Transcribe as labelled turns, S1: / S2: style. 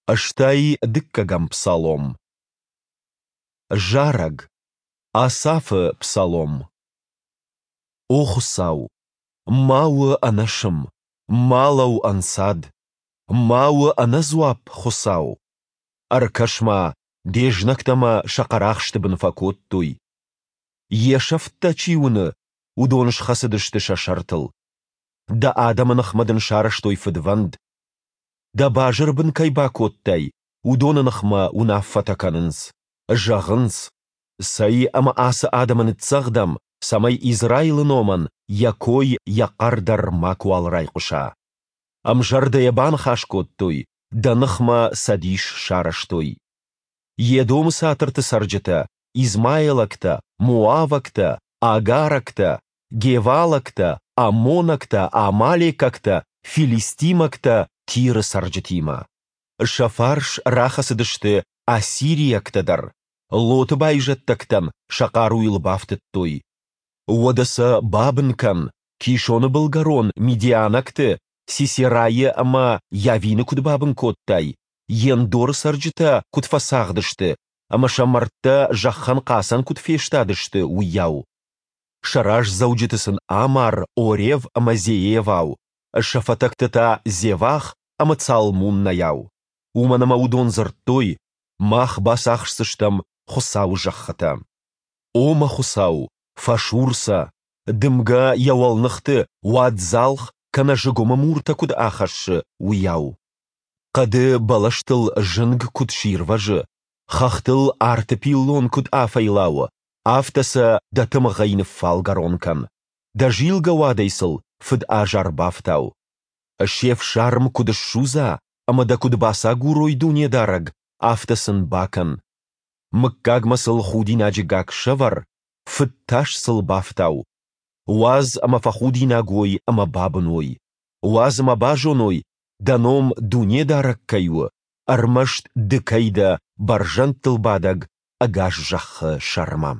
S1: 62-ӕм псалом. Зарӕг. Асафы псалом. О Хуыцау, ма у ӕнӕсым, ма лӕуу ӕнцад! Ма у ӕнӕдзуапп, Хуыцау! Ӕркӕс-ма, де знӕгтӕ мӕ сӕ хъӕрахсты бын фӕкодтой. Йе сӕфт дӕ чи уыны, уыдон схӕцыдысты сӕ сӕртыл. Дӕ адӕмы ныхмӕ дын сарӕзтой фыдвӕнд. Дӕ базыр бын кӕй бакодтай, уыдоны ныхмӕ уынаффӕтӕ кӕнынц. Зӕгъынц, цӕй ӕмӕ ацы адӕмы ныццӕгъдӕм, цӕмӕй Израилы номӕн йӕ кой, йӕ хъӕр дӕр макуал райхъуыса. Ӕмзӕрдӕйӕ баныхас кодтой, дӕ ныхмӕ цӕдис сарӕзтой. Едомы цатырты цӕрджытӕ, измаилӕгтӕ, моавӕгтӕ, агарӕгтӕ, гевалӕгтӕ, аммонӕгтӕ, амалекӕгтӕ, филистимӕгтӕ Тиры цӕрджытимӕ. Сӕ фарс рахӕцыдысты ассириӕгтӕ дӕр, Лоты байзӕддӕгтӕн сӕ хъаруйыл бафтыдтой. Уӕдӕ сӕ бабын кӕн, Кисоны былгӕрон мидианӕгты, Сисерайы ӕмӕ Йавины куыд бабын кодтай, Ендоры цӕрджытӕ куыд фӕцагъды сты ӕмӕ сӕ мӕрдтӕ зӕххӕн хъацӕн куыд фестадысты, уыйау. Сӕ раздзӕуджыты сын амар Орев ӕмӕ Зеевау, сӕ фӕтӕгты та Зевах ӕмӕ Цалмуннайау. Уымӕн ӕмӕ уыдон дзырдтой, мах бацахсдзыстӕм Хуыцауы зӕххытӕ. О мӕ Хуыцау, фӕсур сӕ, дымгӕ йӕ уӕлныхты уаддзалх кӕнӕ зыгуымы муртӕ куыд ахӕссы, уыйау. Хъӕды бӕлӕстыл зынг куыд сирвӕзы, хӕхтыл арты пиллон куыд афӕйлауы, афтӕ сӕ дӕ тымыгъӕй ныффалгӕрон кӕн, дӕ зилгӕ уадӕй сыл фыд азар бафтау. Се фсарм куыд ссудза ӕмӕ дӕ куыд бацагурой Дунедарӕг, афтӕ сын бакӕн. Мыггагмӕ сыл худинаджы гакк сӕвӕр, фыд тас сыл бафтау. Уадз ӕмӕ фӕхудинаг уой ӕмӕ бабын уой. Уадз ӕмӕ базоной, дӕ ном Дунедарӕг кӕй у, ӕрмӕст ды кӕй дӕ бӕрзӕндтыл бадӕг ӕгас зӕххы сӕрмӕ.